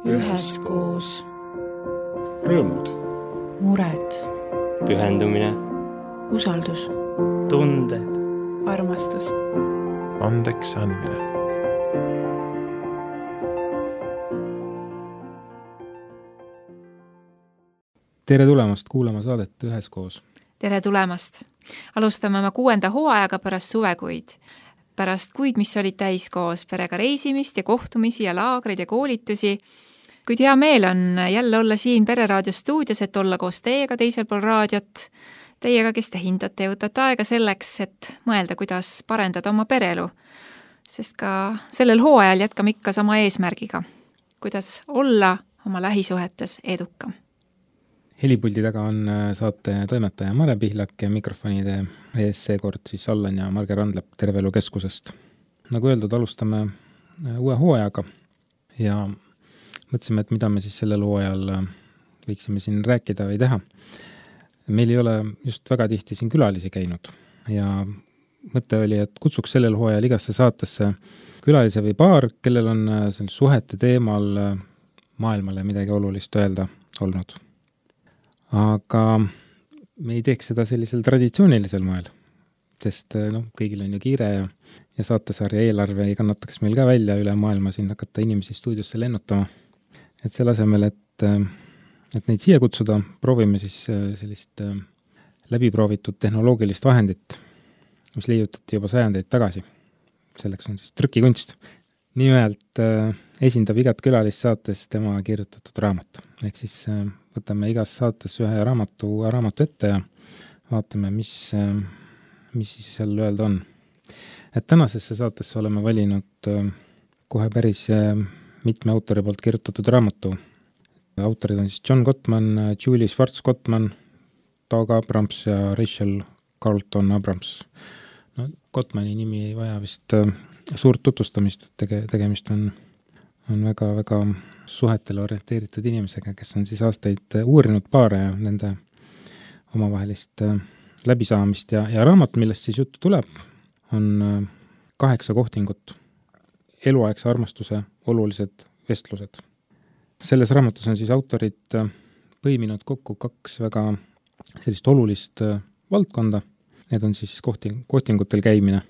üheskoos. Rõõmud, mured, pühendumine, usaldus, tunded, armastus, andeks andmine. Tere tulemast kuulama saadet Üheskoos. Tere tulemast! Alustame oma 6. hooajaga pärast suvekuid. Pärast kuid, mis olid täis koos perega reisimist ja kohtumisi ja laagreid ja koolitusi. Kuid hea meel on jälle olla siin Pereraadio stuudios, et olla koos teiega teisel pool raadiot. Teiega, kes te hindate ja võtate aega selleks, et mõelda, kuidas parendada oma perelu. Sest ka sellel hooajal jätkame ikka sama eesmärgiga. Kuidas olla oma lähisuhetes edukam. Helipuldi taga on saate toimetaja Mare Pihlak ja mikrofonide ees seekord siis Allan ja Marge Randlep Terve Elu Keskusest. Nagu öeldud, alustame uue hooajaga ja mõtlesime, et mida me siis sellel hooajal võiksime siin rääkida või teha. Meil ei ole just väga tihti siin külalisi käinud ja mõte oli, et kutsuks sellel hooajal igasse saatesse külalise või paar, kellel on suhete teemal maailmale midagi olulist öelda olnud. Aga me ei teeks seda sellisel traditsioonilisel moel, sest kõigil on ju kiire ja saatesarja eelarve ei kannataks meil ka välja üle maailma siin hakata inimesi stuudiosse lennutama. Et selle asemel, et neid siia kutsuda, proovime siis sellist läbiproovitud tehnoloogilist vahendit, mis leiutati juba sajandeid tagasi. Selleks on siis trükikunst. Nimelt esindab igat külalist saates tema kirjutatud raamat. Ehk siis võtame igas saates ühe raamatu ette ja vaatame, mis siis seal öelda on. Et tänasesse saatesse oleme valinud kohe päris mitme autori poolt kirjutatud raamatu. Autorid on siis John Gottman, Julie Schwartz-Gottman, Doug Abrams ja Rachel Carlton Abrams. Gottmani nimi ei vaja vist suurt tutvustamist, tegemist on väga suhetele orienteeritud inimesega, kes on siis aastaid uurinud paare ja nende omavahelist läbisaamist ja raamat, millest siis juttu tuleb, on 8 kohtingut, eluaegse armastuse olulised vestlused. Selles raamatus on siis autorid põiminud kokku 2 väga sellist olulist valdkonda. Need on siis kohtingutel käimine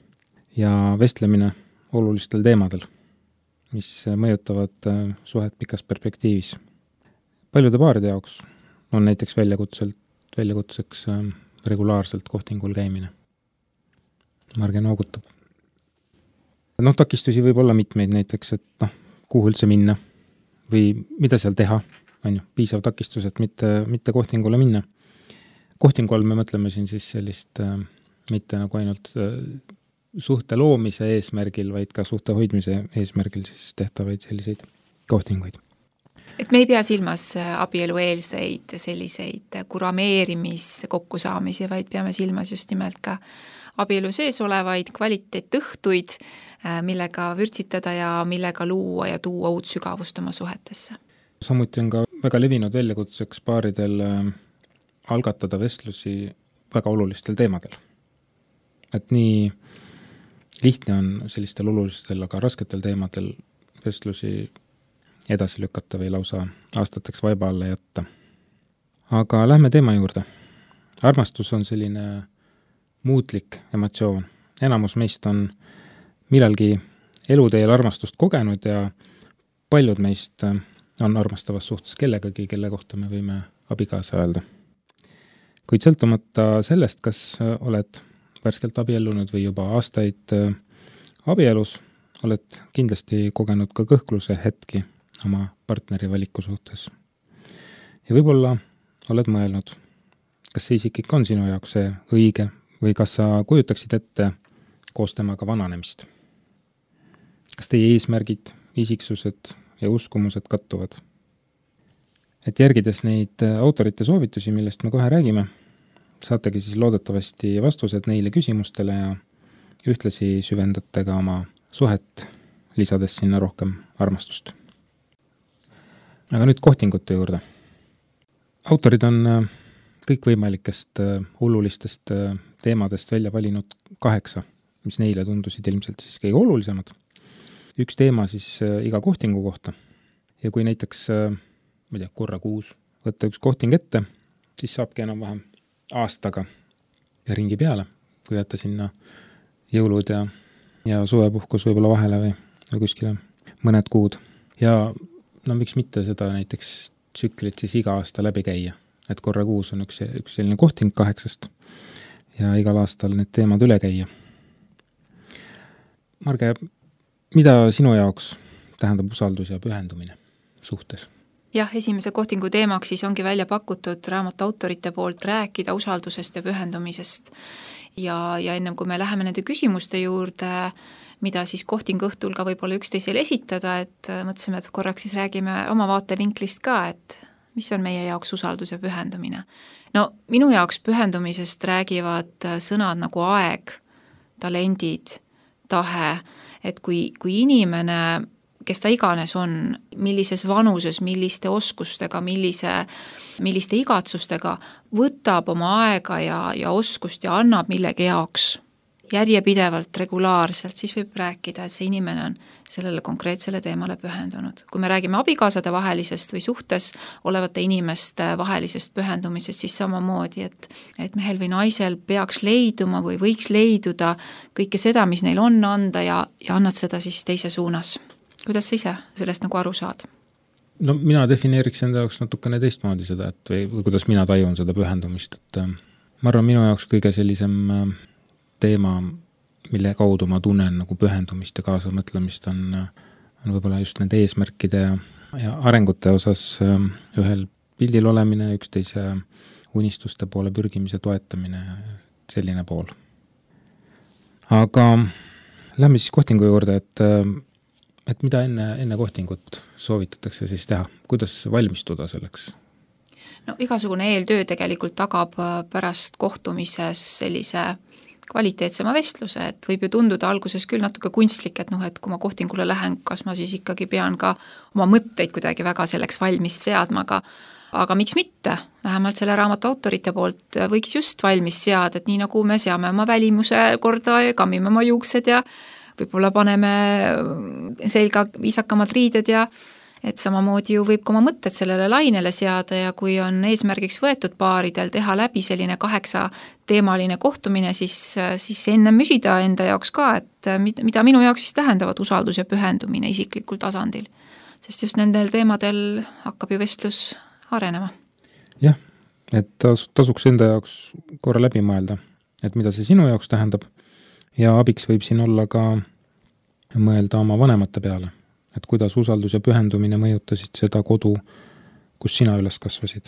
ja vestlemine olulistel teemadel, mis mõjutavad suhet pikas perspektiivis. Paljude paaride jaoks on näiteks väljakutseks regulaarselt kohtingul käimine. Marge noogutab. Takistusi võib olla mitmeid näiteks, et kuhu üldse minna või mida seal teha, on ju, piisav takistus, et mitte kohtingule minna. Kohtingu all me mõtleme siin siis sellist mitte nagu ainult suhte loomise eesmärgil, vaid ka suhte hoidmise eesmärgil siis tehtavaid selliseid kohtinguid. Et me ei pea silmas abielueelseid selliseid kurameerimis kokkusaamisi, vaid peame silmas just nimelt ka abielu sees olevaid kvaliteetõhtuid, millega vürtsitada ja millega luua ja tuua uut sügavust oma suhetesse. Samuti on ka väga levinud väljakutseks paaridel algatada vestlusi väga olulistel teemadel. Et nii lihtne on sellistel olulistel, aga rasketel teemadel vestlusi edasi lükata või lausa aastateks vaiba alla jätta. Aga lähme teema juurde. Armastus on selline muutlik emotsioon. Enamus meist on millalgi eluteel armastust kogenud ja paljud meist on armastavas suhtes kellegagi, kelle kohta me võime abikaasa öelda. Kuid sõltumata sellest, kas oled värskelt abiellunud või juba aastaid abielus, oled kindlasti kogenud ka kõhkluse hetki oma partneri valiku suhtes. Ja võib-olla oled mõelnud, kas see isik ikka on sinu jaoks see õige või kas sa kujutaksid ette koos temaga vananemist. Kas teie eesmärgid, isiksused ja uskumused kattuvad? Et järgides neid autorite soovitusi, millest me kohe räägime, saategi siis loodetavasti vastused neile küsimustele ja ühtlasi süvendate ka oma suhet, lisades sinna rohkem armastust. Aga nüüd kohtingute juurde. Autorid on kõikvõimalikest olulistest teemadest välja valinud 8, mis neile tundusid ilmselt siis kõige olulisemad. Üks teema siis iga kohtingu kohta ja kui näiteks, ma ei tea, korra kuus võtta üks kohting ette, siis saabki enam-vähem aastaga ja ringi peale, kui jätta sinna jõulud ja suvepuhkus võib-olla vahele või kuskile mõned kuud. Ja no miks mitte seda näiteks tsüklit siis iga aasta läbi käia, et korra kuus on üks selline kohting 8 ja igal aastal need teemad üle käia. Marge, mida sinu jaoks tähendab usaldus ja pühendumine suhtes? Jah, esimese kohtingu teemaks siis ongi välja pakutud raamatu autorite poolt rääkida usaldusest ja pühendumisest. Ja ennem kui me läheme nende küsimuste juurde, mida siis kohtingu õhtul ka võib-olla üksteisele esitada, et mõtlesime, et korraks siis räägime oma vaatevinklist ka, et mis on meie jaoks usaldus ja pühendumine. No minu jaoks pühendumisest räägivad sõnad nagu aeg, talendid, tahe, et kui inimene, kes ta iganes on, millises vanuses, milliste oskustega, milliste igatsustega, võtab oma aega ja oskust ja annab millegi jaoks järjepidevalt, regulaarselt, siis võib rääkida, et see inimene on sellele konkreetsele teemale pühendunud. Kui me räägime abikaasade vahelisest või suhtes olevate inimeste vahelisest pühendumisest, siis samamoodi, et mehel või naisel peaks leiduma või võiks leiduda kõike seda, mis neil on anda ja annad seda siis teise suunas. Kuidas sa ise sellest nagu aru saad? No mina defineeriks enda jaoks natukene teistmoodi seda, et või kuidas mina tajun seda pühendumist, et ma arvan, minu jaoks kõige sellisem teema, mille kaudu ma tunnen nagu pühendumist ja kaasamõtlemist on võib-olla just nende eesmärkide ja arengute osas ühel pildil olemine, üksteise unistuste poole pürgimise toetamine, selline pool. Aga lähme siis kohtingu juurde, et mida enne kohtingut soovitatakse siis teha? Kuidas valmistuda selleks? No igasugune eeltöö tegelikult tagab pärast kohtumises sellise kvaliteetsema vestluse, et võib ju tunduda alguses küll natuke kunstlik, et et kui ma kohtingule lähen, kas ma siis ikkagi pean ka oma mõtteid kuidagi väga selleks valmis seadma, aga miks mitte? Vähemalt selle raamatu autorite poolt võiks just valmis seada, et nii nagu me seame oma välimuse korda ja kammime oma juuksed ja võib-olla paneme selga viisakamad riided ja et samamoodi ju võib ka oma mõtted sellele lainele seada ja kui on eesmärgiks võetud paaridel teha läbi selline 8-teemaline kohtumine, siis enne müsida enda jaoks ka, et mida minu jaoks siis tähendavad usaldus ja pühendumine isiklikul tasandil. Sest just nendel teemadel hakkab ju vestlus arenema. Jah, et tasuks enda jaoks korra läbi mõelda, et mida see sinu jaoks tähendab ja abiks võib siin olla ka mõelda oma vanemate peale. Et kuidas usaldus ja pühendumine mõjutasid seda kodu, kus sina üles kasvasid.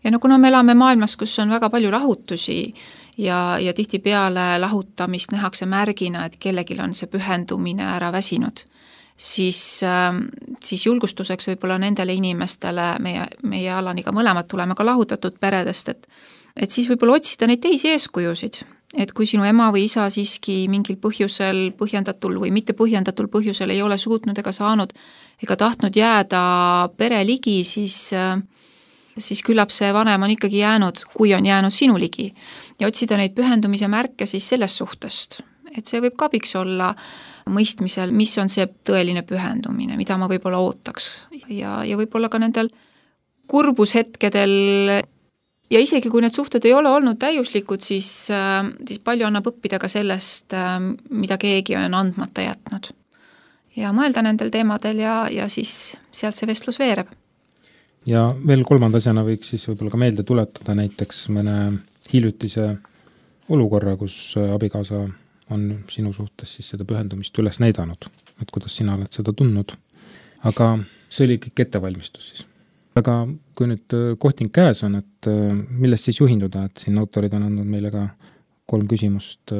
Ja kuna me elame maailmas, kus on väga palju lahutusi ja tihtipeale lahutamist nähakse märgina, et kellelgi on see pühendumine ära väsinud, siis julgustuseks võib-olla nendele inimestele, meie Alaniga mõlemad tuleme ka lahutatud peredest, et siis võib-olla otsida neid teisi eeskujusid. Et kui sinu ema või isa siiski mingil põhjusel, põhjendatul või mitte põhjendatul põhjusel ei ole suutnud ega saanud ega tahtnud jääda pere ligi, siis küllap see vanem on ikkagi jäänud, kui on jäänud sinu ligi. Ja otsida neid pühendumise märke siis sellest suhtest. Et see võib ka abiks olla mõistmisel, mis on see tõeline pühendumine, mida ma võib-olla ootaks. Ja võib-olla ka nendel kurbushetkedel ja isegi kui need suhted ei ole olnud täiuslikud, siis palju annab õppida ka sellest, mida keegi on andmata jätnud. Ja mõelda nendel teemadel ja siis sealt see vestlus veereb. Ja veel 3. asjana võiks siis võib-olla ka meelde tuletada näiteks mõne hiljutise olukorra, kus abikaasa on sinu suhtes siis seda pühendumist üles näidanud, et kuidas sina oled seda tundnud. Aga see oli kõik ettevalmistus siis. Aga kui nüüd kohting käes on, et millest siis juhinduda, et siin autorid on andnud meile ka 3 küsimust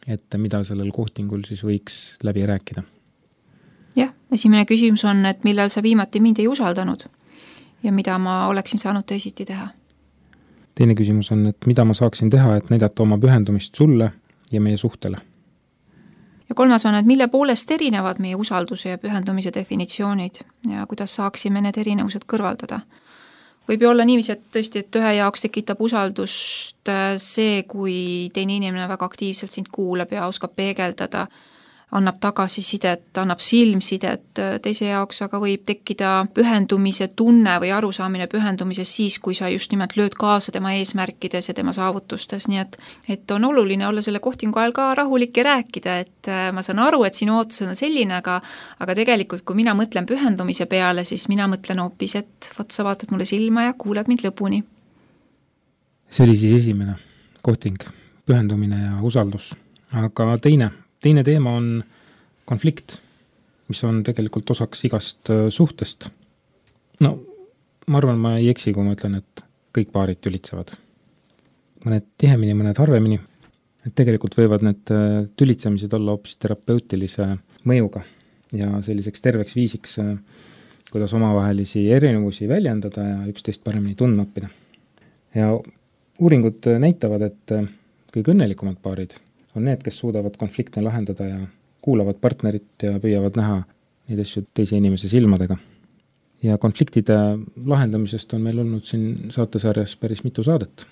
ette, mida sellel kohtingul siis võiks läbi rääkida? Jah, esimene küsimus on, et millal sa viimati mind ei usaldanud ja mida ma oleksin saanud teisiti teha? Teine küsimus on, et mida ma saaksin teha, et näidata oma pühendumist sulle ja meie suhtele? Ja 3. on, et mille poolest erinevad meie usalduse ja pühendumise definitsioonid ja kuidas saaksime need erinevused kõrvaldada. Võib ju olla niiviisi, et tõesti, et ühe jaoks tekitab usaldust see, kui teine inimene väga aktiivselt sind kuulab ja oskab peegeldada annab tagasisidet, annab silmsidet, teise jaoks aga võib tekkida pühendumise tunne või arusaamine pühendumises siis, kui sa just nimelt lööd kaasa tema eesmärkides ja tema saavutustes, nii et on oluline olla selle kohtingu ajal ka rahulik ja rääkida, et ma saan aru, et sinu ootus on selline, aga tegelikult, kui mina mõtlen pühendumise peale, siis mina mõtlen hoopis, et vot sa vaatad mulle silma ja kuulad mind lõpuni. See oli siis esimene kohting, pühendumine ja usaldus, aga teine teema on konflikt, mis on tegelikult osaks igast suhtest. No, ma arvan, ma ei eksi, kui ma ütlen, et kõik paarid tülitsevad. Mõned tihemini, mõned harvemini. Et tegelikult võivad need tülitsemised olla hoopis terapeutilise mõjuga ja selliseks terveks viisiks, kuidas omavahelisi erinevusi väljendada ja üksteist paremini tundma õppida. Ja uuringud näitavad, et kõige õnnelikumad paarid on need, kes suudavad konflikte lahendada ja kuulavad partnerit ja püüavad näha neid asju teise inimese silmadega. Ja konfliktide lahendamisest on meil olnud siin saatesarjas päris mitu saadet.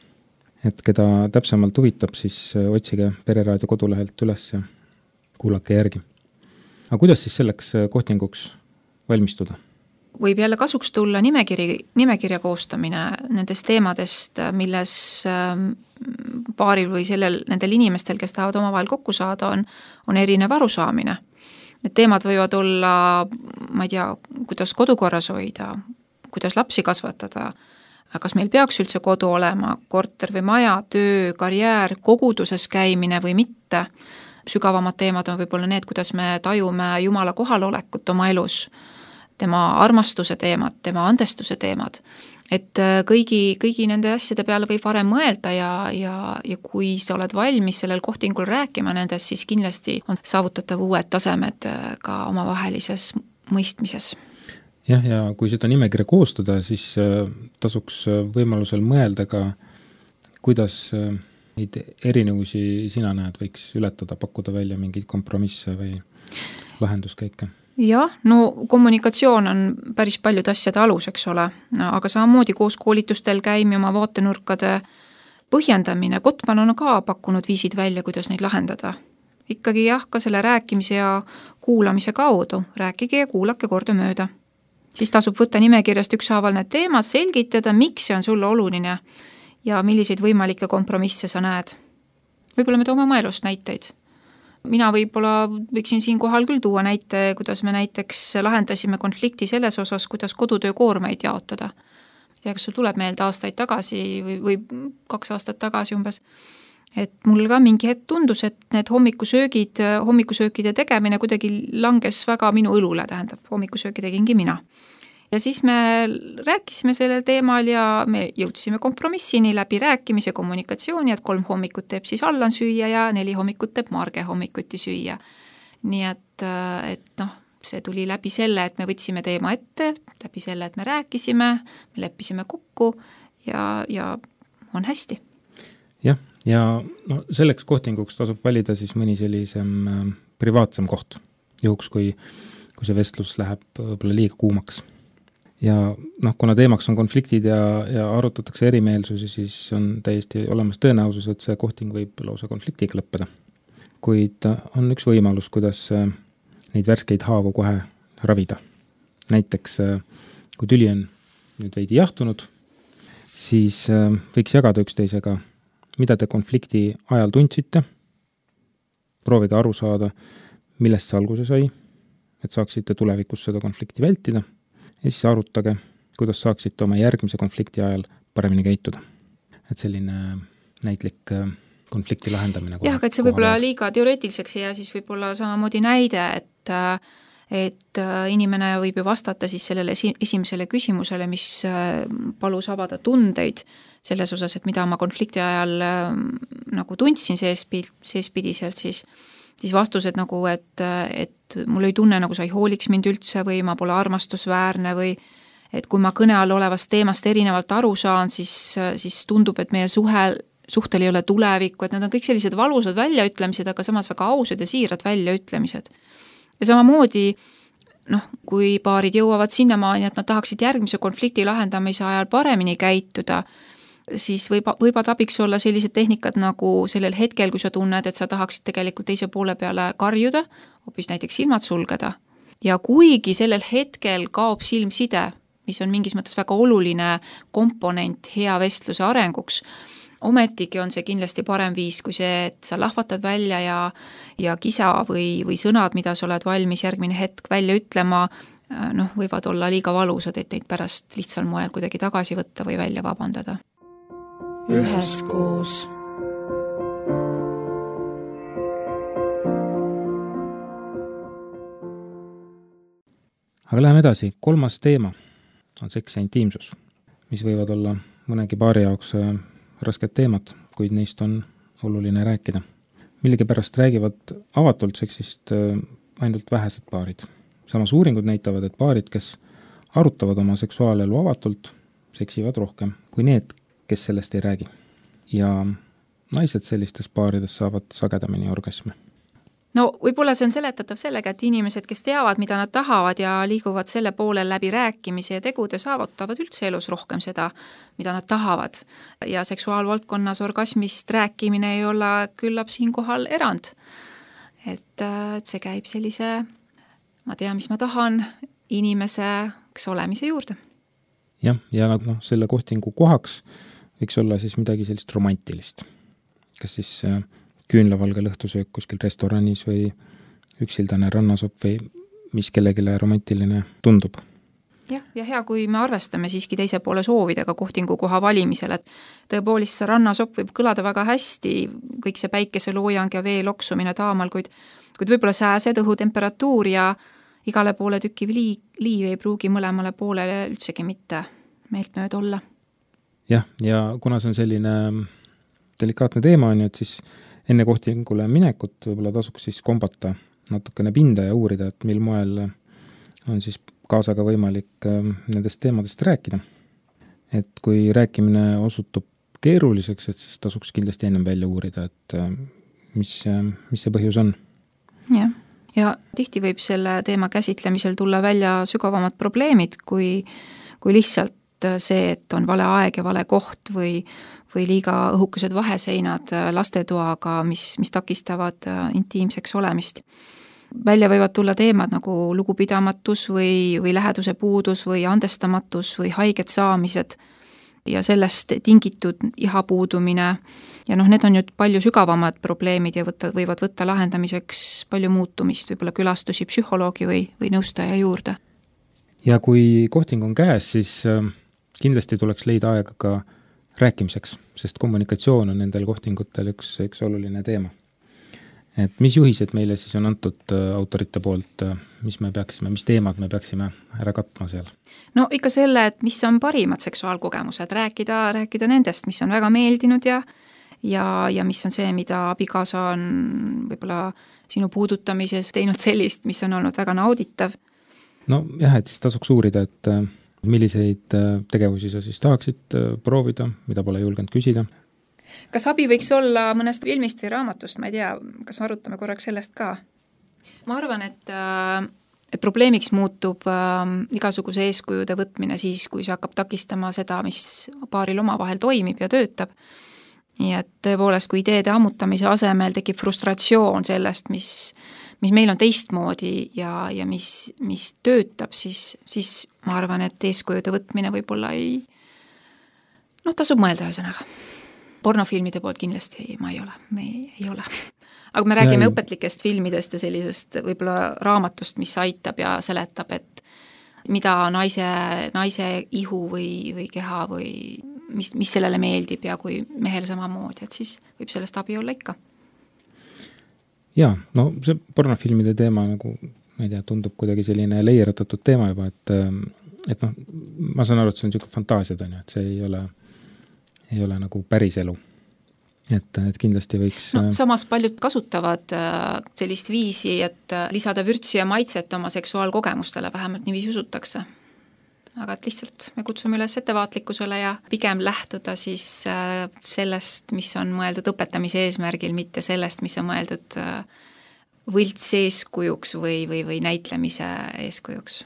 Et keda täpsemalt huvitab, siis otsige Pereraadio kodulehelt üles ja kuulake järgi. Aga kuidas siis selleks kohtinguks valmistuda? Võib jälle kasuks tulla nimekirja koostamine nendest teemadest, milles paaril või nendel inimestel, kes tahavad omavahel kokku saada, on erinev arusaamine. Need teemad võivad olla, ma ei tea, kuidas kodukorras hoida, kuidas lapsi kasvatada, kas meil peaks üldse kodu olema, korter või maja, töö, karjäär, koguduses käimine või mitte. Sügavamad teemad on võib-olla need, kuidas me tajume Jumala kohalolekut oma elus, tema armastuse teemad, tema andestuse teemad. Et kõigi nende asjade peale võib varem mõelda ja kui sa oled valmis sellel kohtingul rääkima nendest, siis kindlasti on saavutatav uued tasemed ka omavahelises mõistmises. Jah, ja kui seda nimekirja koostada, siis tasuks võimalusel mõelda ka, kuidas neid erinevusi sina näed, võiks ületada, pakkuda välja mingeid kompromisse või lahenduskäike. Jah, no kommunikatsioon on päris paljud asjade alus, eks ole, aga samamoodi koos koolitustel käimi oma vaatenurkade põhjendamine. Gottman on ka pakkunud viisid välja, kuidas neid lahendada. Ikkagi jah, ka selle rääkimise ja kuulamise kaudu. Rääkige ja kuulake korda mööda. Siis tasub võtta nimekirjast ükshaaval need teemad, selgitada, miks see on sulle oluline ja milliseid võimalikke kompromisse sa näed. Võib-olla me toome oma elust näiteid. Mina võib-olla võiksin siin kohal küll tuua näite, kuidas me näiteks lahendasime konflikti selles osas, kuidas kodutöö koormeid jaotada. Ja kas sul tuleb meelde aastaid tagasi või 2 aastat tagasi umbes, et mul ka mingi hetk tundus, et need hommikusöökide tegemine kuidagi langes väga minu õlule, tähendab, hommikusööki tegingi mina. Ja siis me rääkisime sellel teemal ja me jõudsime kompromissini läbi rääkimise kommunikatsiooni, et 3 hommikut teeb siis Allan süüa ja 4 hommikut teeb Marge hommikuti süüa. Nii et see tuli läbi selle, et me võtsime teema ette, läbi selle, et me rääkisime, me leppisime kokku ja on hästi. Jah, ja selleks kohtinguks tasub valida siis mõni sellisem privaatsem koht, juhuks kui see vestlus läheb võib-olla liiga kuumaks. Ja kuna teemaks on konfliktid ja arutatakse erimeelsusi, siis on täiesti olemas tõenäosus, et see kohting võib lausa konfliktiga lõppeda. Kuid on üks võimalus, kuidas neid värskeid haavu kohe ravida. Näiteks, kui tüli on nüüd veidi jahtunud, siis võiks jagada üksteisega, mida te konflikti ajal tundsite, proovige aru saada, millest see alguse sai, et saaksite tulevikus seda konflikti vältida. Ja siis arutage, kuidas saaksite oma järgmise konflikti ajal paremini käituda. Et selline näitlik konflikti lahendamine. Jah, aga et see võib-olla liiga teoreetiliseks ja siis võib-olla samamoodi näide, et inimene võib ju vastata siis sellele esimesele küsimusele, mis palus avada tundeid selles osas, et mida ma konflikti ajal nagu tundsin seespidiselt, siis vastused nagu, et mul ei tunne, nagu sa ei hooliks mind üldse või ma pole armastusväärne või et kui ma kõne all olevast teemast erinevalt aru saan, siis tundub, et meie suhtel ei ole tulevikku, et need on kõik sellised valusad väljaütlemised, aga samas väga ausad ja siirad väljaütlemised. Ja samamoodi, kui paarid jõuavad sinnamaani, et nad tahaksid järgmise konflikti lahendamise ajal paremini käituda, siis võivad abiks olla sellised tehnikad nagu sellel hetkel, kui sa tunned, et sa tahaksid tegelikult teise poole peale karjuda, hoopis näiteks silmad sulgeda. Ja kuigi sellel hetkel kaob silmside, mis on mingis mõttes väga oluline komponent hea vestluse arenguks, ometigi on see kindlasti parem viis kui see, et sa lahvatad välja ja kisa või sõnad, mida sa oled valmis järgmine hetk välja ütlema, võivad olla liiga valusad, et neid pärast lihtsal moel kuidagi tagasi võtta või välja vabandada. Üheskoos. Aga läheme edasi. 3. teema on seks ja intiimsus, mis võivad olla mõnegi paari jaoks rasked teemad, kuid neist on oluline rääkida. Millegipärast räägivad avatult seksist ainult vähesed paarid. Samas uuringud näitavad, et paarid, kes arutavad oma seksuaalelu avatult, seksivad rohkem kui need, kes sellest ei räägi. Ja naised sellistes paarides saavad sagedamini orgasme. No võib-olla see on seletatav sellega, et inimesed, kes teavad, mida nad tahavad ja liiguvad selle poole läbi rääkimise ja tegude, saavutavad üldse elus rohkem seda, mida nad tahavad. Ja seksuaalvaldkonnas orgasmist rääkimine ei ole küllap siinkohal erand. Et see käib sellise, ma tean, mis ma tahan, inimeseks olemise juurde. Jah, ja selle kohtingu kohaks võiks olla siis midagi sellist romantilist. Kas siis küünlavalge lõhtusöök kuskil restoranis või üksildane rannasopp või mis kellegile romantiline tundub. Ja hea, kui me arvestame siiski teise poole soovidega kohtingu koha valimisel, et tõepoolest see rannasopp võib kõlada väga hästi, kõik see päikeseloojang ja vee loksumine taamal, kuid võib-olla sääsed, õhutemperatuur ja igale poole tükiv liiv ei pruugi mõlemale poolele üldsegi mitte meeltmööda olla. Jah, ja kuna see on selline delikaatne teema on ju, et siis enne kohtingule minekut võib-olla tasuks siis kombata natukene pinda ja uurida, et mil moel on siis kaasaga võimalik nendest teemadest rääkida. Et kui rääkimine osutub keeruliseks, et siis tasuks kindlasti ennem välja uurida, et mis see põhjus on. Ja tihti võib selle teema käsitlemisel tulla välja sügavamad probleemid, kui lihtsalt see, et on vale aeg ja vale koht või liiga õhukesed vaheseinad lastetoaga, mis takistavad intiimseks olemist. Välja võivad tulla teemad nagu lugupidamatus või läheduse puudus või andestamatus või haiget saamised ja sellest tingitud iha puudumine. Ja need on ju palju sügavamad probleemid ja võivad võtta lahendamiseks palju muutumist, võib-olla külastusi psühholoogi või nõustaja juurde. Ja kui kohting on käes, siis kindlasti tuleks leida aega ka rääkimiseks, sest kommunikatsioon on nendel kohtingutel üks oluline teema. Et mis juhised meile siis on antud autorite poolt, mis teemad me peaksime ära katma seal? No ikka selle, et mis on parimad seksuaalkogemused, rääkida nendest, mis on väga meeldinud ja mis on see, mida abikaasa on võib-olla sinu puudutamises teinud sellist, mis on olnud väga nauditav. No jah, et siis tasuks uurida, et milliseid tegevusi sa siis tahaksid proovida, mida pole julgenud küsida. Kas abi võiks olla mõnest filmist või raamatust, ma ei tea, kas arutame korraks sellest ka? Ma arvan, et probleemiks muutub igasuguse eeskujude võtmine siis, kui see hakkab takistama seda, mis paaril omavahel toimib ja töötab. Nii et tõepoolest, kui ideede ammutamise asemel tekib frustratsioon sellest, mis meil on teistmoodi ja mis töötab, siis ma arvan, et eeskujude võtmine võib-olla tasub mõelda ühesõnaga. Pornofilmide poolt kindlasti me ei ole. Aga me räägime õpetlikest filmidest ja sellisest võib-olla raamatust, mis aitab ja seletab, et mida naise ihu või keha või mis sellele meeldib ja kui mehel samamoodi, et siis võib sellest abi olla ikka. Jaa, see pornofilmide teema nagu, ma ei tea, tundub kuidagi selline leieratatud teema juba, et ma saan aru, et see on niisugune fantaasiad, et see ei ole nagu päris elu. Et kindlasti võiks... Samas paljud kasutavad sellist viisi, et lisada vürtsi ja maitset oma seksuaalkogemustele, vähemalt niiviisi usutakse. Aga et lihtsalt me kutsume üles ettevaatlikkusele ja pigem lähtuda siis sellest, mis on mõeldud õpetamise eesmärgil, mitte sellest, mis on mõeldud võlts eeskujuks või näitlemise eeskujuks.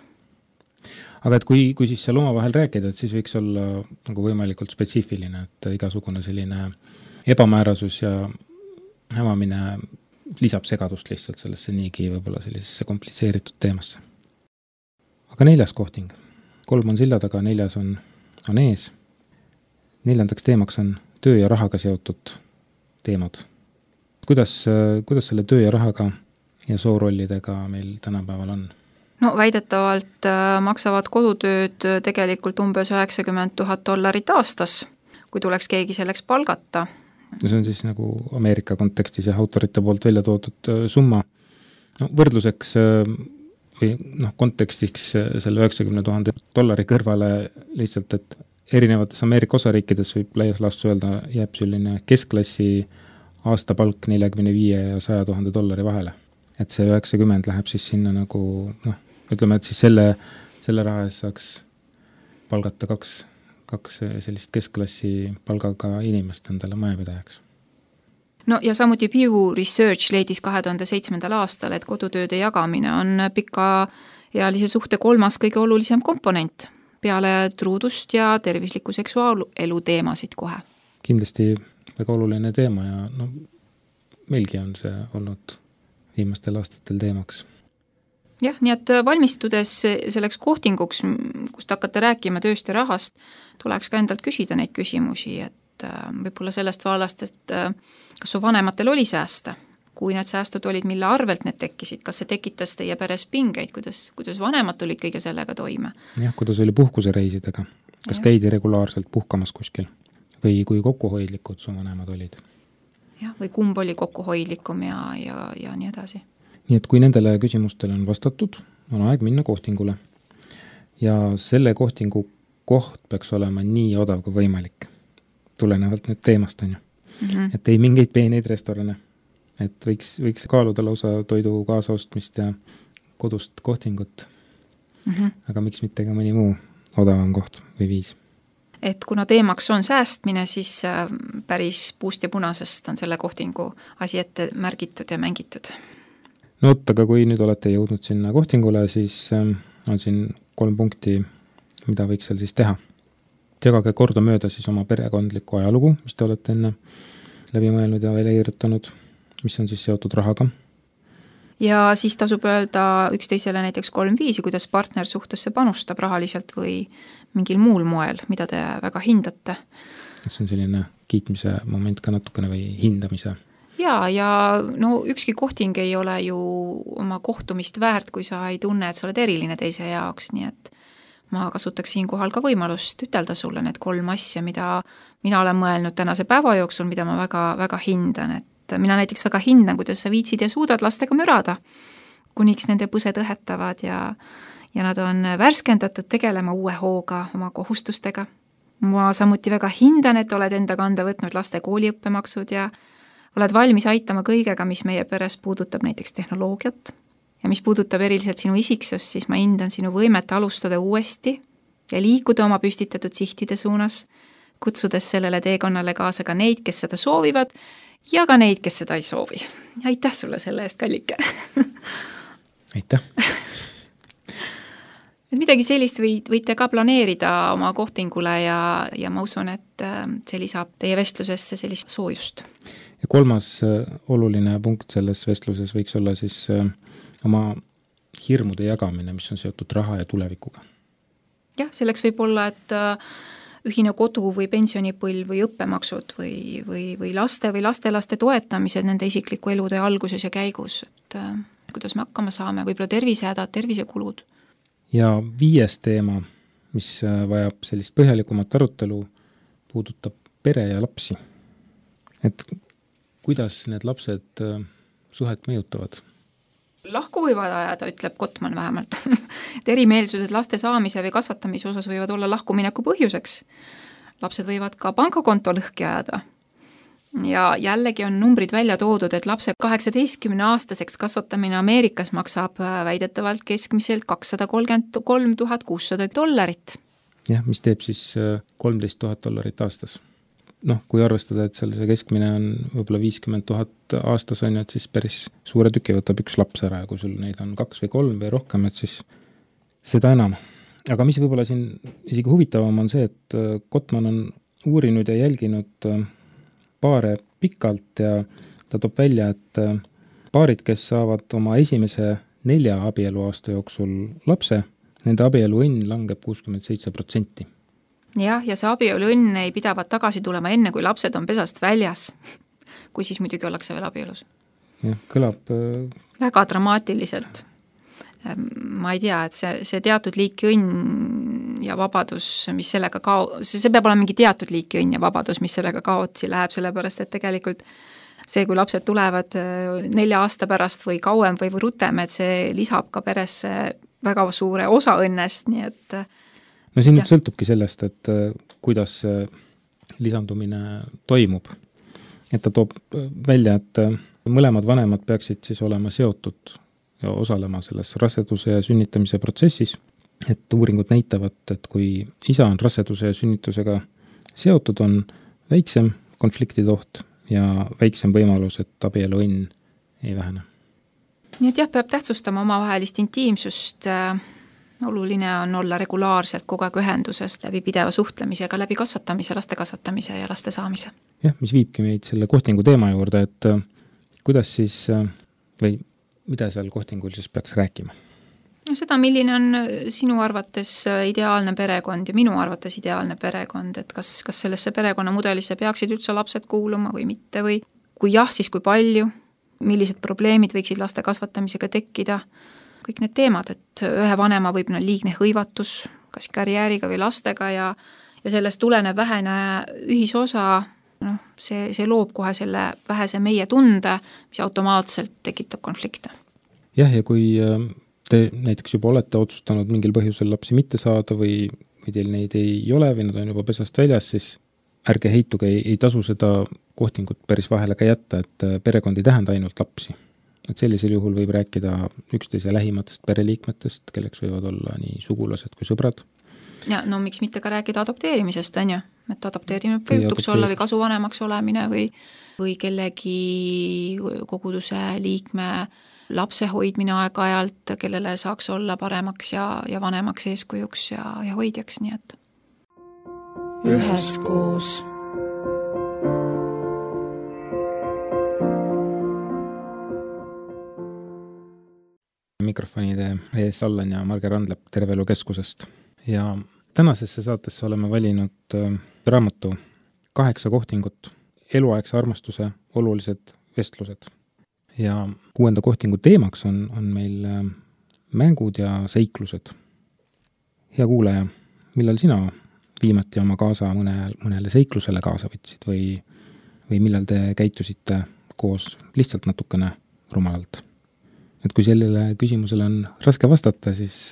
aga et kui siis seal omavahel rääkida, et siis võiks olla nagu võimalikult spetsiifiline, et igasugune selline ebamäärasus ja hämamine lisab segadust lihtsalt sellesse niigi võib-olla sellisesse komplitseeritud teemasse. Aga 4. kohting. 3 on silla taga, 4 on ees. 4. teemaks on töö ja rahaga seotud teemad. Kuidas selle töö ja rahaga ja soorollidega meil tänapäeval on? No väidetavalt maksavad kodutööd tegelikult umbes $90,000 aastas, kui tuleks keegi selleks palgata. See on siis nagu Ameerika kontekstis ja autorite poolt välja toodud summa. No, võrdluseks või kontekstiks selle $90,000 kõrvale lihtsalt, et erinevates Ameerika osariikides võib laias laastus öelda, jääb selline keskklassi aastapalk $45,000 ja $100,000 vahele. Et see 90 läheb siis sinna nagu, ütleme, et siis selle raha eest saaks palgata kaks sellist keskklassi palgaga inimest endale majapidajaks. No ja samuti Pew Research leidis 2007. aastal, et kodutööde jagamine on pikaealise suhte 3. kõige olulisem komponent peale truudust ja tervisliku seksuaalelu teemasid kohe. Kindlasti väga oluline teema ja meilgi on see olnud viimastel aastatel teemaks. Jah, nii et valmistudes selleks kohtinguks, kust hakata rääkima tööst ja rahast, tuleks ka endalt küsida neid küsimusi, et võib-olla sellest vaalast, et kas su vanematel oli säästa, kui need säästud olid, mille arvelt need tekkisid, kas see tekitas teie peres pingeid, kuidas vanemad tulid kõige sellega toime? Jah, kuidas oli puhkusereisidega, kas käidi regulaarselt puhkamas kuskil või kui kokkuhoidlikud su vanemad olid? Jah, või kumb oli kokkuhoidlikum ja nii edasi. Nii et kui nendele küsimustele on vastatud, on aeg minna kohtingule. Ja selle kohtingu koht peaks olema nii odav kui võimalik. Tulenevalt nüüd teemast on ju. Et ei mingeid peeneid restorane. Et võiks kaaluda lausa toidu kaasaostmist ja kodust kohtingut. Aga miks mitte ka mõni muu odavam koht või viis? Et kuna teemaks on säästmine, siis päris puust ja punasest on selle kohtingu asi ette märgitud ja mängitud. No aga kui nüüd olete jõudnud sinna kohtingule, siis on siin 3 punkti, mida võiks seal siis teha. Jagage korda mööda siis oma perekondlikku ajalugu, mis te olete enne läbi mõelnud ja välja kirjutanud, mis on siis seotud rahaga. Ja siis tasub öelda üksteisele näiteks 3 viisi, kuidas partner suhtesse panustab rahaliselt või mingil muul moel, mida te väga hindate. See on selline kiitmise moment ka natukene või hindamise. Ja ükski kohting ei ole ju oma kohtumist väärt, kui sa ei tunne, et sa oled eriline teise jaoks, nii et ma kasutaks siin kohal ka võimalust ütelda sulle need 3 asja, mida mina olen mõelnud tänase päeva jooksul, mida ma väga, väga hindan, et mina näiteks väga hindan, kuidas sa viitsid ja suudad lastega mürada, kuniks nende põsed õhetavad ja nad on värskendatud tegelema uue hooga oma kohustustega. Ma samuti väga hindan, et oled enda kanda võtnud laste kooliõppemaksud ja oled valmis aitama kõigega, mis meie peres puudutab näiteks tehnoloogiat. Ja mis puudutab eriliselt sinu isiksust, siis ma hindan sinu võimet alustada uuesti ja liikuda oma püstitatud sihtide suunas, kutsudes sellele teekonnale kaasa ka neid, kes seda soovivad ja ka neid, kes seda ei soovi. Aitäh sulle selle eest, Kallike! Aitäh! Et midagi sellist võite ka planeerida oma kohtingule ja ma usun, et see lisab teie vestlusesse sellist soojust. Ja 3. oluline punkt selles vestluses võiks olla siis oma hirmude jagamine, mis on seotud raha ja tulevikuga. Jah, selleks võib olla, et ühine kodu või pensionipõlv või õppemaksud või laste või lastelaste toetamised nende isikliku elude alguses ja käigus, et kuidas me hakkama saame, võib-olla tervisehädad, tervisekulud. Ja 5. teema, mis vajab sellist põhjalikumat arutelu, puudutab pere ja lapsi. Et kuidas need lapsed suhet mõjutavad? Lahku võivad ajada, ütleb Kottmann vähemalt. Erimeelsused laste saamise või kasvatamise osas võivad olla lahkumineku põhjuseks. Lapsed võivad ka pangakonto lõhki ajada. Ja jällegi on numbrid välja toodud, et lapse 18-aastaseks kasvatamine Ameerikas maksab väidetavalt keskmiselt $233,600. Jah, mis teeb siis $13,000 aastas. Kui arvestada, et seal see keskmine on võib-olla 50,000 aastas on, et siis päris suure tüki võtab üks laps ära ja kui sul neid on 2 või 3 või rohkem, et siis seda enam. aga mis võib-olla siin isegi huvitavam on see, et Gottman on uurinud ja jälginud paare pikalt ja ta toob välja, et paarid, kes saavad oma esimese 4 abieluaasta jooksul lapse, nende abieluõnn langeb 67%. Jah, ja see abieluõnn ei pidavat tagasi tulema enne, kui lapsed on pesast väljas, kui siis muidugi ollakse veel abielus. Jah, kõlab väga dramaatiliselt. Ma ei tea, et see teatud liiki õnn ja vabadus, mis sellega see peab olema mingi teatud liiki õnn ja vabadus, mis sellega kaotsi läheb, sellepärast et tegelikult see, kui lapsed tulevad 4 aasta pärast või kauem või rutem, et see lisab ka peresse väga suure osa õnnest, nii et no siin nüüd sõltubki sellest, et kuidas lisandumine toimub. Et ta toob välja, et mõlemad vanemad peaksid siis olema seotud ja osalema selles raseduse ja sünnitamise protsessis, et uuringud näitavad, et kui isa on raseduse ja sünnitusega seotud, on väiksem konfliktitoht ja väiksem võimalus, et abieluõnn ei vähene. Nii et jah, peab tähtsustama omavahelist intiimsust. Oluline on olla regulaarselt kogu aeg ühendusest läbi pideva suhtlemisega, läbi kasvatamise, laste kasvatamise ja laste saamise. Jah, mis viibki meid selle kohtingu teema juurde, et kuidas siis või mida seal kohtingul siis peaks rääkima? No seda, milline on sinu arvates ideaalne perekond ja minu arvates ideaalne perekond, et kas sellesse perekonnamudelisse peaksid üldse lapsed kuuluma või mitte või kui jah, siis kui palju, millised probleemid võiksid laste kasvatamisega tekkida, kõik need teemad, et ühe vanema võib liigne hõivatus, kas karjääriga või lastega ja sellest tuleneb vähene ühisosa, see loob kohe selle vähese meie tunde, mis automaatselt tekitab konflikte. Jah, ja kui te näiteks juba olete otsustanud mingil põhjusel lapsi mitte saada või teil neid ei ole või nad on juba pesast väljas, siis ärge heituge, ei tasu seda kohtingut päris vahele ka jätta, et perekond ei tähenda ainult lapsi. Et sellisel juhul võib rääkida üksteise lähimatest pereliikmetest, kelleks võivad olla nii sugulased kui sõbrad. Ja no miks mitte ka rääkida adopteerimisest, on ju? Et adopteerimine võiduks olla või kasuvanemaks olemine või kellegi koguduse liikme lapse hoidmine aeg-ajalt, kellele saaks olla paremaks ja vanemaks eeskujuks ja hoidjaks, nii et. Üheskoos. Mikrofonide ees Allan ja Marge Randlepp Terve Elu Keskusest. Ja tänasesse saatesse oleme valinud raamatu 8 kohtingut, eluaegse armastuse olulised vestlused. Ja 6. kohtingu teemaks on meil mängud ja seiklused. Hea kuulaja, millal sina viimati oma kaasa mõnele seiklusele kaasa võtsid või millal te käitusite koos lihtsalt natukene rumalalt? Et kui sellele küsimusele on raske vastata, siis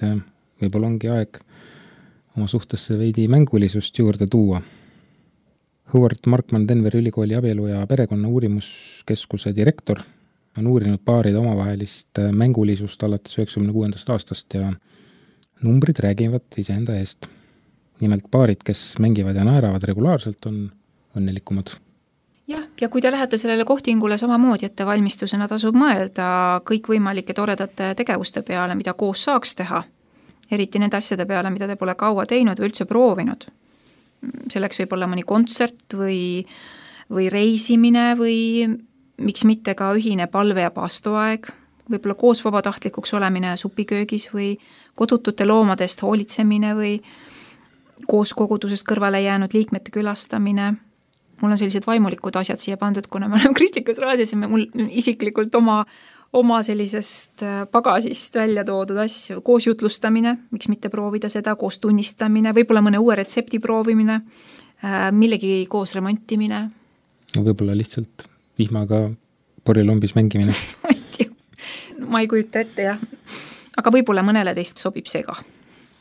võib-olla ongi aeg oma suhtesse veidi mängulisust juurde tuua. Howard Markman Denveri ülikooli abielu ja perekonna uurimuskeskuse direktor on uurinud paaride omavahelist mängulisust alates 96. aastast ja numbrid räägivad iseenda eest. Nimelt paarid, kes mängivad ja naeravad regulaarselt, on õnnelikumad. Jah, ja kui te lähete sellele kohtingule samamoodi, et valmistusena tasub mõelda kõikvõimalike toredate tegevuste peale, mida koos saaks teha, eriti nende asjade peale, mida te pole kaua teinud või üldse proovinud. Selleks võib olla mõni kontsert või reisimine või miks mitte ka ühine palve- ja paastoaeg, võib-olla koos vabatahtlikuks olemine supiköögis või kodutute loomadest hoolitsemine või koos kogudusest kõrvale jäänud liikmete külastamine. Mul on sellised vaimulikud asjad siia pandud, kuna me oleme kristlikus raadios ja mul isiklikult oma sellisest pagasist välja toodud asju, koos jutlustamine, miks mitte proovida seda, koos tunnistamine, võib-olla mõne uue retsepti proovimine, millegi koos remontimine. No võib-olla lihtsalt vihmaga porilombis mängimine. Ma ei kujuta ette, jah. Aga võib-olla mõnele teist sobib see ka.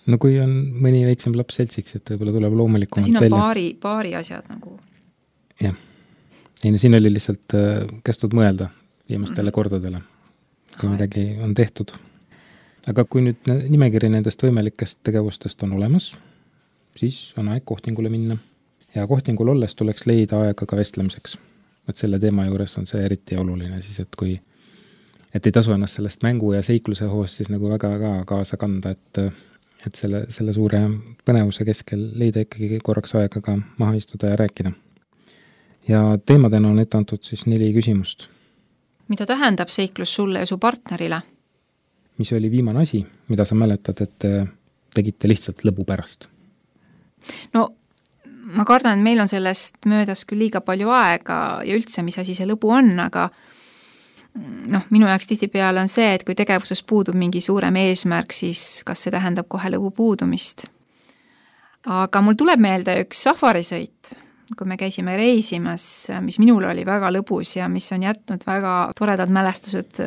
No kui on mõni väiksem laps seltsiks, et võib-olla tuleb loomulikumalt välja. Siin on paari asjad nagu. Jah. Ei, no siin oli lihtsalt kästud mõelda viimastele kordadele, kui midagi on tehtud. Aga kui nüüd nimekiri nendest võimalikest tegevustest on olemas, siis on aeg kohtingule minna. Ja kohtingul olles tuleks leida aega ka vestlemiseks. Et selle teema juures on see eriti oluline, siis et ei tasu ennast sellest mängu ja seikluse hoost siis nagu väga kaasa kanda, et selle suure põnevuse keskel leida ikkagi korraks aega ka maha istuda ja rääkida. Ja teemadena on ette antud siis 4 küsimust. Mida tähendab seiklus sulle ja su partnerile? Mis oli viimane asi, mida sa mäletad, et tegite lihtsalt lõbu pärast? No ma kardan, et meil on sellest möödas küll liiga palju aega ja üldse, mis asi see lõbu on, aga minu jaoks tihtipeale on see, et kui tegevuses puudub mingi suurem eesmärk, siis kas see tähendab kohe lõbu puudumist. Aga mul tuleb meelde üks safarisõit, kui me käisime reisimas, mis minul oli väga lõbus ja mis on jätnud väga toredad mälestused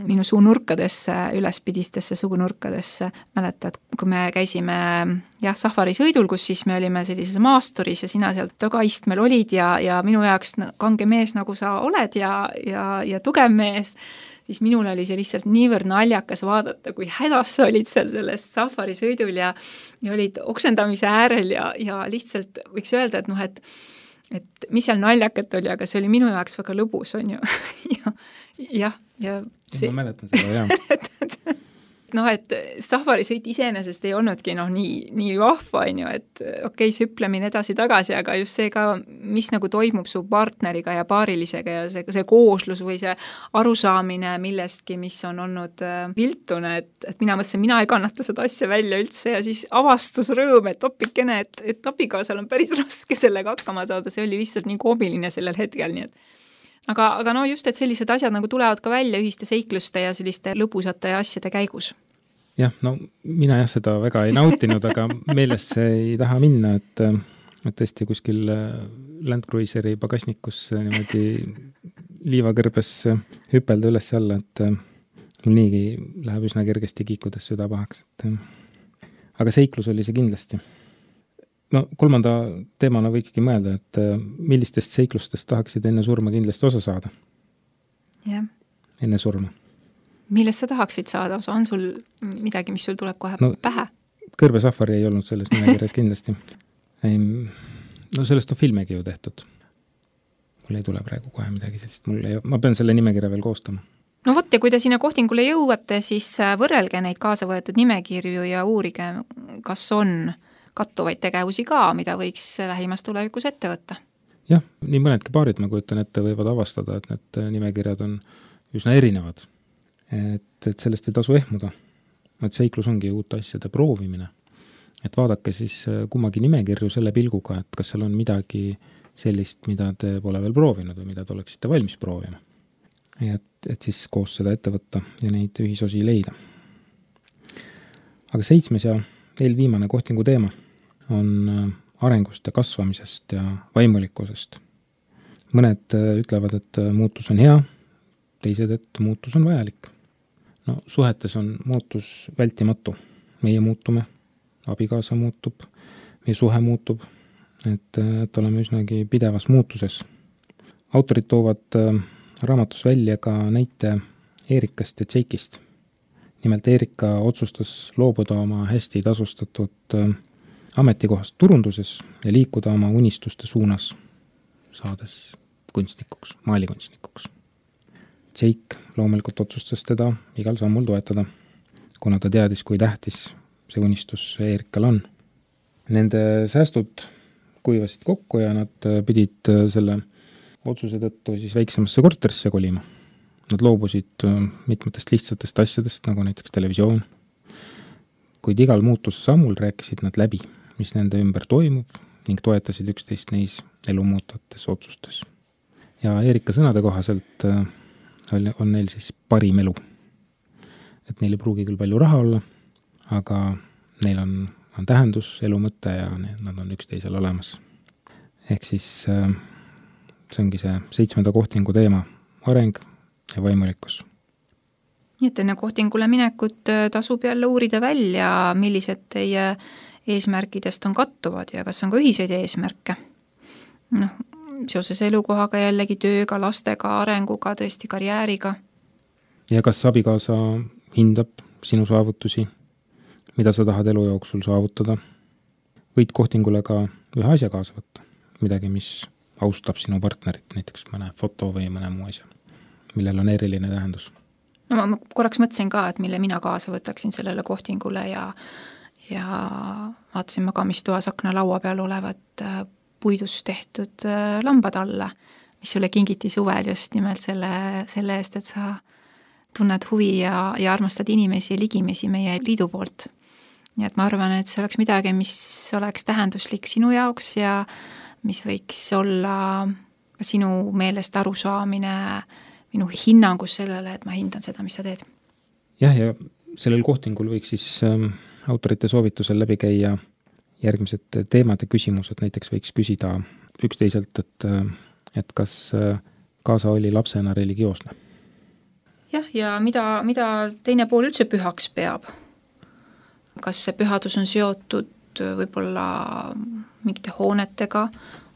minu suunurkadesse, ülespidistesse suunurkadesse. Mäletad, kui me käisime safarisõidul, kus siis me olime sellises maasturis ja sina sealt tagaistmel olid ja minu jaoks kange mees, nagu sa oled ja tugev mees, siis minul oli see lihtsalt niivõrd naljakas vaadata, kui hädas sa olid seal selles safarisõidul ja olid oksendamise äärel ja lihtsalt võiks öelda, et mis seal naljakat oli, aga see oli minu jaoks väga lõbus, on ju. ja see... Ma mäletan seda, jah. Et safarisõit iseenesest ei olnudki nii vahva, on ju, et okei, see hüplemine edasi-tagasi, aga just see ka, mis nagu toimub su partneriga ja paarilisega ja see kooslus või see arusaamine millestki, mis on olnud viltune, et mina mõtlesin, mina ei kannata seda asja välja üldse ja siis avastusrõõm, et opikene, et abikaasal on päris raske sellega hakkama saada, see oli lihtsalt nii koomiline sellel hetkel, nii et Aga just, et sellised asjad nagu tulevad ka välja ühiste seikluste ja selliste lõbusate asjade käigus. Jah, mina seda väga ei nautinud, aga meelest see ei taha minna, et tõesti kuskil Land Cruiseri pagasnikus niimoodi liivakõrbes hüpelda üles alla, et mul niigi läheb üsna kergesti kiikudes süda pahaks. Aga seiklus oli see kindlasti. 3. teemana võikski mõelda, et millistest seiklustest tahaksid enne surma kindlasti osa saada? Jah. Enne surma. Millest sa tahaksid saada osa? On sul midagi, mis sul tuleb kohe pähe? Kõrbesafari ei olnud selles nimekirjas kindlasti. Sellest on filmegi ju tehtud. Mul ei tule praegu kohe midagi sellist. Ma pean selle nimekirja veel koostama. Ja kui te sinna kohtingule jõuate, siis võrrelge neid kaasa võetud nimekirju ja uurige, kas on kattuvaid tegevusi ka, mida võiks lähimas tulevikus ette võtta. Jah, nii mõnedki paarid, ma kujutan ette, võivad avastada, et need nimekirjad on üsna erinevad. Et sellest ei tasu ehmuda. Et seiklus ongi uute asjade proovimine. Et vaadake siis kummagi nimekirju selle pilguga, et kas seal on midagi sellist, mida te pole veel proovinud või mida te oleksite valmis proovima. Et siis koos seda ette võtta ja neid ühisosi leida. Aga 7. ja eelviimane kohtingu teema on arengust ja kasvamisest ja vaimulikkusest. Mõned ütlevad, et muutus on hea, teised, et muutus on vajalik. Suhetes on muutus vältimatu. Meie muutume, abikaasa muutub, meie suhe muutub, et oleme üsnagi pidevas muutuses. Autorid toovad raamatus välja ka näite Eerikast ja Tšeikist. Nimelt Eerika otsustas loobuda oma hästi tasustatud ametikohast turunduses ja liikuda oma unistuste suunas, saades kunstnikuks, maalikunstnikuks. Tšeik loomulikult otsustas teda igal sammul toetada, kuna ta teadis, kui tähtis see unistus Eerikal on. Nende säästud kuivasid kokku ja nad pidid selle otsuse tõttu siis väiksemasse korterisse kolima. Nad loobusid mitmetest lihtsatest asjadest, nagu näiteks televisioon. Kuid igal muutuse sammul rääkisid nad läbi, mis nende ümber toimub ning toetasid üksteist neis elu muutvates otsustes. Ja Eerika sõnade kohaselt on neil siis parim elu. Et neil ei pruugi küll palju raha olla, aga neil on tähendus, elu mõte ja nad on üksteisel olemas. Ehk siis see ongi see 7. kohtingu teema, areng ja vaimulikkus. Nii et enne kohtingule minekut tasub jälle uurida välja, millised teie eesmärkidest on kattuvad ja kas on ka ühiseid eesmärke. Seoses elukohaga jällegi tööga, lastega, arenguga, tõesti karjääriga. Ja kas abikaasa hindab sinu saavutusi, mida sa tahad elu jooksul saavutada? Võid kohtingule ka ühe asja kaasa võtta, midagi, mis austab sinu partnerit, näiteks mõne foto või mõne muu asja, millel on eriline tähendus. Ma korraks mõtlesin ka, et mille mina kaasa võtaksin sellele kohtingule ja ja vaatasin magamistoas aknalaua peal olevat puidust tehtud lambad alla, mis sulle kingiti suvel just nimelt selle eest, et sa tunned huvi ja armastad inimesi ja ligimesi meie liidu poolt. Nii et ma arvan, et see oleks midagi, mis oleks tähenduslik sinu jaoks ja mis võiks olla ka sinu meelest arusaamine, minu hinnangus sellele, et ma hindan seda, mis sa teed. Jah, ja sellel kohtingul võiks siis autorite soovitusel läbi käia järgmised teemad ja küsimused, näiteks võiks küsida üksteiselt, et kas kaasa oli lapsena religioosne. Jah, ja mida teine pool üldse pühaks peab? Kas see pühadus on seotud võib-olla mingite hoonetega,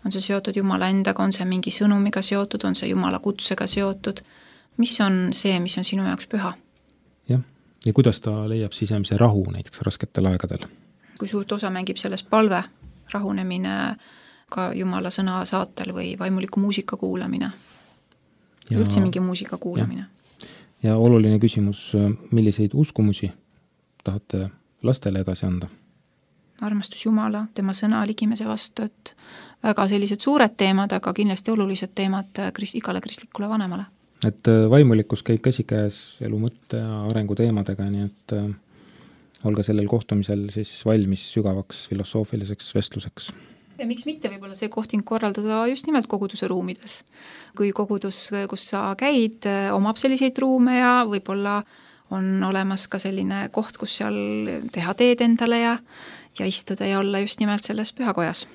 on see seotud Jumala endaga, on see mingi sõnumiga seotud, on see Jumala kutsega seotud, mis on see, mis on sinu jaoks püha? Jah, ja kuidas ta leiab sisemise rahu näiteks rasketel aegadel? Kui suurt osa mängib sellest palve, rahunemine ka Jumala sõna saatel või vaimuliku muusika kuulamine, üldse mingi muusika kuulamine. Ja oluline küsimus, milliseid uskumusi tahate lastele edasi anda? Armastus Jumala, tema sõna ligimese vastu, et väga sellised suured teemad, aga kindlasti olulised teemad igale kristlikule vanemale. Et vaimulikkus käib käsikäes elu mõtte ja arengu teemadega, nii et olge sellel kohtumisel siis valmis sügavaks filosoofiliseks vestluseks. Ja miks mitte võib-olla see kohting korraldada just nimelt koguduse ruumides. Kui kogudus, kus sa käid, omab selliseid ruume ja võib-olla on olemas ka selline koht, kus seal teha teed endale ja istuda ja olla just nimelt selles pühakojas.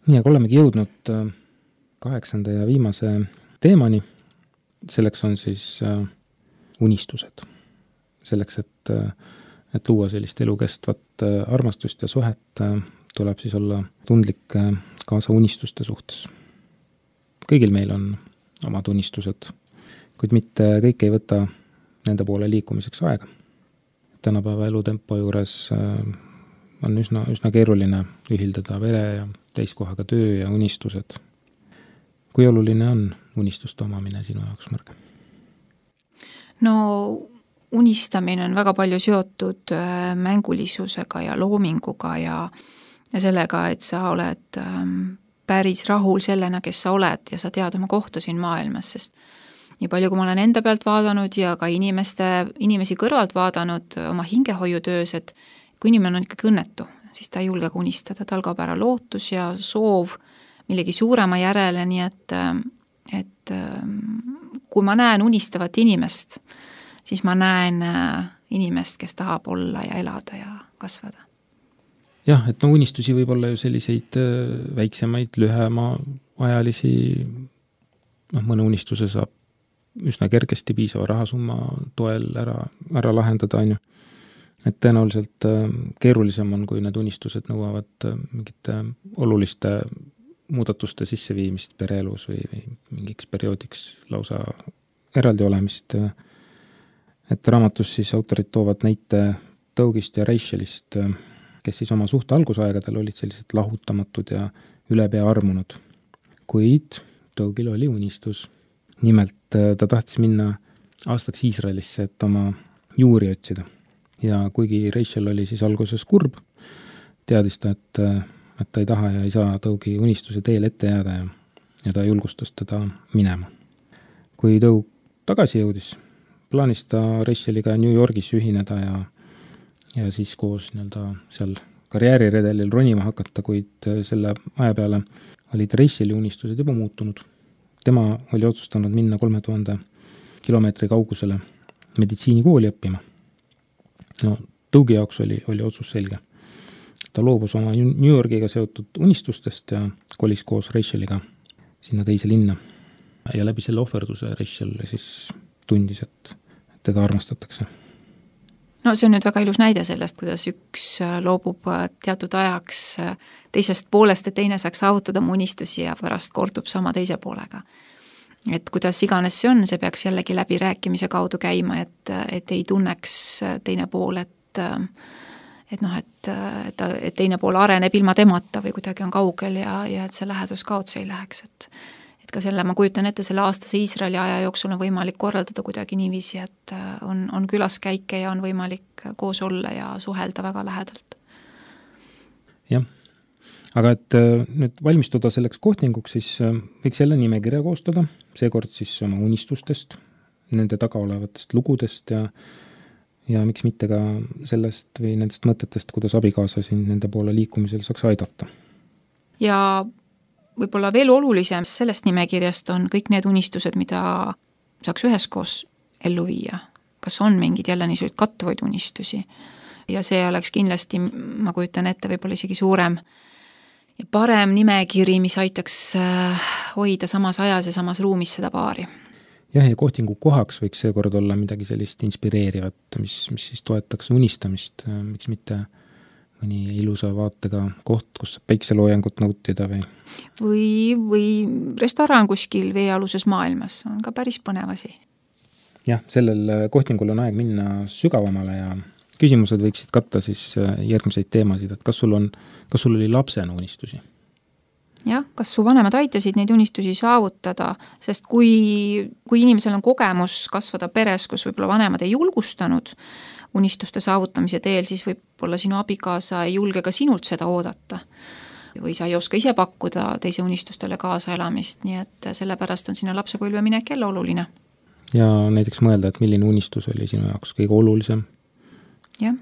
Nii, aga olemegi jõudnud 8. ja viimase teemani. Selleks on siis unistused. Selleks, et luua sellist elukestvat armastust ja suhet, tuleb siis olla tundlik kaasa unistuste suhtes. Kõigil meil on omad unistused, kuid mitte kõik ei võta nende poole liikumiseks aega. Tänapäeva elutempo juures on üsna keeruline ühildada vere ja täiskohaga töö ja unistused. Kui oluline on unistuste omamine sinu jaoks, Marge? No unistamine on väga palju seotud mängulisusega ja loominguga ja sellega, et sa oled päris rahul sellena, kes sa oled ja sa tead oma kohta siin maailmas, sest nii palju, kui ma olen enda pealt vaadanud ja ka inimesi kõrvalt vaadanud oma hingehoiutöös, et kui inimene on ikkagi õnnetu, siis ta ei julge unistada, tal kaob ära lootus ja soov millegi suurema järele, nii et kui ma näen unistavat inimest, siis ma näen inimest, kes tahab olla ja elada ja kasvada. Jah, et unistusi võib olla ju selliseid väiksemaid, lühema ajalisi, mõne unistuse saab üsna kergesti piisava rahasumma toel ära lahendada, on ju. Et tõenäoliselt keerulisem on, kui need unistused nõuavad mingite oluliste muudatuste sisseviimist pereelus või mingiks perioodiks lausa eraldi olemist. Et raamatus siis autorid toovad näite Dougist ja Rachelist, kes siis oma suhte algusaegadel olid sellised lahutamatud ja ülepea armunud. Kuid Dougil oli unistus. Nimelt ta tahtis minna aastaks Iisraelisse, et oma juuri otsida. Ja kuigi Rachel oli siis alguses kurb, teadis ta, et ta ei taha ja ei saa Dougi unistuse teel ette jääda ja ta julgustas teda minema. Kui Doug tagasi jõudis, plaanis ta Racheliga New Yorgis ühineda ja siis koos seal karjääriredelil ronima hakata, kuid selle aja peale olid Racheli unistused juba muutunud. Tema oli otsustanud minna 3000 kilomeetri kaugusele meditsiinikooli õppima. No, Dougi jaoks oli otsus selge. Ta loobus oma New Yorgiga seotud unistustest ja kolis koos Racheliga sinna teise linna. Ja läbi selle ohverduse Rachel siis tundis, et teda armastatakse. No see on nüüd väga ilus näide sellest, kuidas üks loobub teatud ajaks teisest poolest, et teine saaks saavutada mu unistusi ja pärast kordub sama teise poolega. Et kuidas iganes see on, see peaks jällegi läbi rääkimise kaudu käima, et ei tunneks teine pool, et teine pool areneb ilma temata või kuidagi on kaugel ja et see lähedus kaotsi ei läheks. Et ka selle, ma kujutan ette, selle aastase Iisraeli aja jooksul on võimalik korraldada kuidagi niiviisi, et on külaskäike ja on võimalik koos olla ja suhelda väga lähedalt. Jah, aga et nüüd valmistuda selleks kohtinguks, siis võiks jälle nimekirja koostada, seekord siis oma unistustest, nende taga olevatest lugudest ja miks mitte ka sellest või nendest mõtetest, kuidas abikaasa siin nende poole liikumisel saaks aidata. Ja võib-olla veel olulisem sellest nimekirjast on kõik need unistused, mida saaks üheskoos ellu viia. Kas on mingid jälle niisuguseid kattuvaid unistusi? Ja see oleks kindlasti, ma kujutan ette, võib-olla isegi suurem ja parem nimekiri, mis aitaks hoida samas ajas ja samas ruumis seda paari. Jah, ja kohtingu kohaks võiks seekord olla midagi sellist inspireerivat, mis siis toetaks unistamist, miks mitte mõni ilusa vaatega koht, kus saab päikseloojangut nautida või restoran kuskil veealuses maailmas, on ka päris põnev asi. Jah, sellel kohtingul on aeg minna sügavamale ja küsimused võiksid katta siis järgmiseid teemasid, et kas sul oli lapsena unistusi? Jah, kas su vanemad aitasid neid unistusi saavutada, sest kui inimesel on kogemus kasvada peres, kus võib-olla vanemad ei julgustanud unistuste saavutamise teel, siis võib-olla sinu abikaasa ei julge ka sinult seda oodata. Või sa ei oska ise pakkuda teise unistustele kaasaelamist, nii et sellepärast on sinna lapsepõlve minek jälle oluline. Ja näiteks mõelda, et milline unistus oli sinu jaoks kõige olulisem? Jah,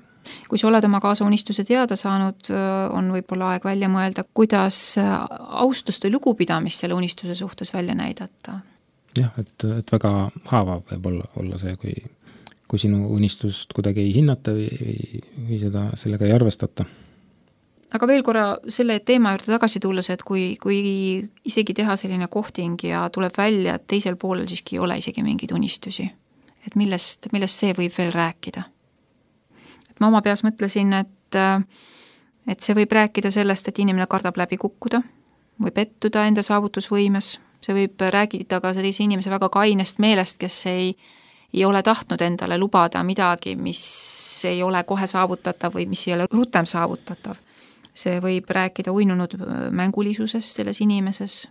kui sa oled oma kaasa unistuse teada saanud, on võib-olla aeg välja mõelda, kuidas austust või lugupidamist selle unistuse suhtes välja näidata. Jah, et väga haavav võib olla see, kui sinu unistust kuidagi ei hinnata või sellega ei arvestata. Aga veel korra selle teema juurde tagasi tulles, et kui isegi teha selline kohting ja tuleb välja, et teisel poolel siiski ei ole isegi mingeid unistusi, et millest see võib veel rääkida? Et ma oma peas mõtlesin, et see võib rääkida sellest, et inimene kardab läbi kukkuda või pettuda enda saavutusvõimes. See võib rääkida ka sellise inimese väga kainest meelest, kes ei ole tahtnud endale lubada midagi, mis ei ole kohe saavutatav või mis ei ole rutem saavutatav. See võib rääkida uinunud mängulisusest selles inimeses.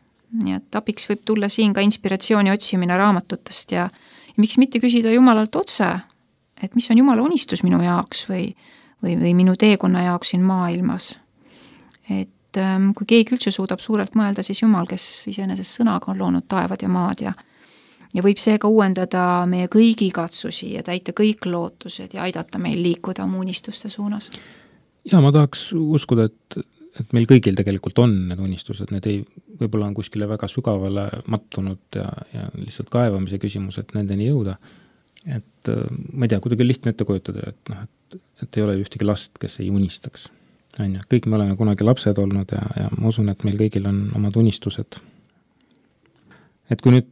Nii et abiks võib tulla siin ka inspiratsiooni otsimine raamatutest ja miks mitte küsida Jumalalt otse, et mis on Jumala unistus minu jaoks või minu teekonna jaoks siin maailmas. Et kui keegi üldse suudab suurelt mõelda, siis Jumal, kes iseenesest sõnaga on loonud taevad ja maad ja võib seega uuendada meie kõigi katsusi ja täita kõik lootused ja aidata meil liikuda oma unistuste suunas. Ja ma tahaks uskuda, et meil kõigil tegelikult on need unistused, need võib-olla on kuskile väga sügavale mattunud ja lihtsalt kaevamise küsimus, et nendeni jõuda. Et ma ei tea, kuidagi lihtne ette kujutada, et ei ole ühtegi last, kes ei unistaks. Kõik me oleme kunagi lapsed olnud ja ma usun, et meil kõigil on omad unistused. Et kui nüüd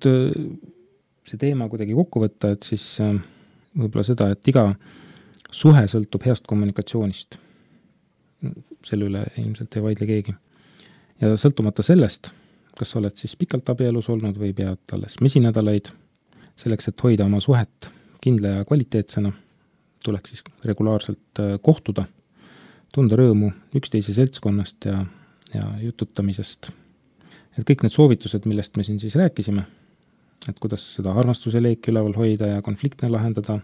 see teema kuidagi kokku võtta, et siis võib-olla seda, et iga suhe sõltub heast kommunikatsioonist. Selle üle ilmselt ei vaidle keegi. Ja sõltumata sellest, kas oled siis pikalt abielus olnud või pead alles mesinädalaid, selleks, et hoida oma suhet kindla ja kvaliteetsena, tuleks siis regulaarselt kohtuda, tunda rõõmu üksteise seltskonnast ja jututamisest. Et kõik need soovitused, millest me siin siis rääkisime, et kuidas seda armastuse leeki üleval hoida ja konfliktne lahendada,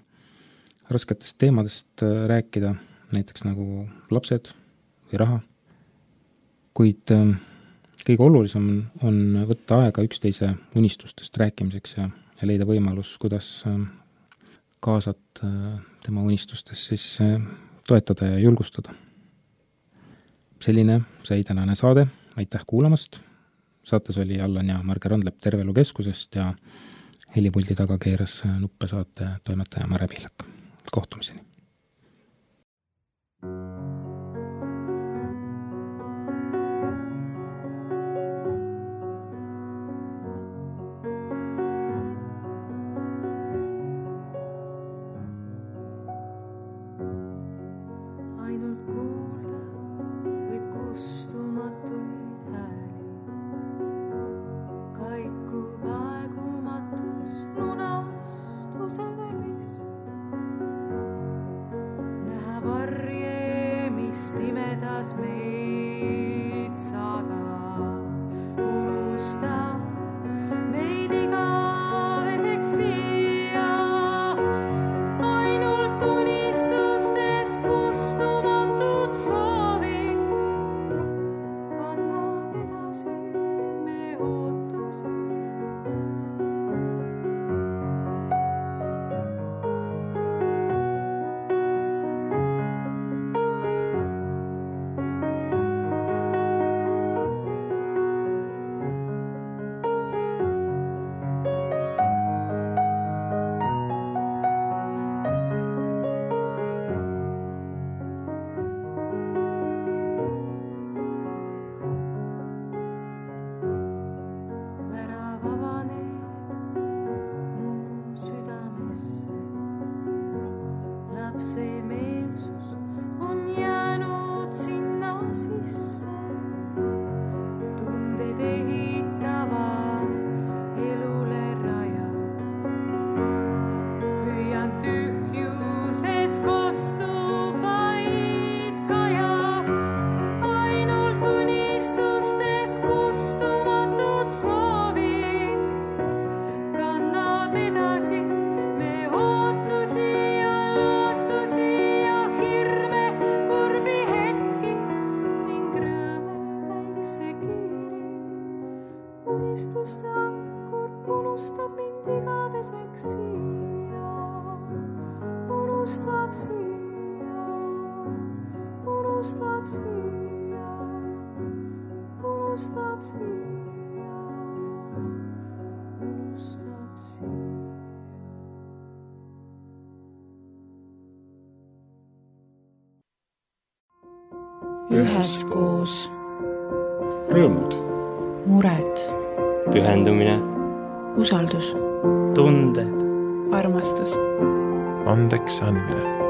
rasketest teemadest rääkida, näiteks nagu lapsed või raha. Kuid kõige olulisem on võtta aega üksteise unistustest rääkimiseks ja leida võimalus, kuidas kaasat tema unistustes siis toetada ja julgustada. Selline sai tänane saade. Aitäh kuulamast. Saates oli Allan ja Marge Randlep Terve Elu Keskusest ja helipuldi taga keeras nuppe saate toimetaja Mare Pihlak. Kohtumiseni. üheskoos. Rõõmud. Mured. Pühendumine. Usaldus. Tunded. Armastus. Andeks andmine.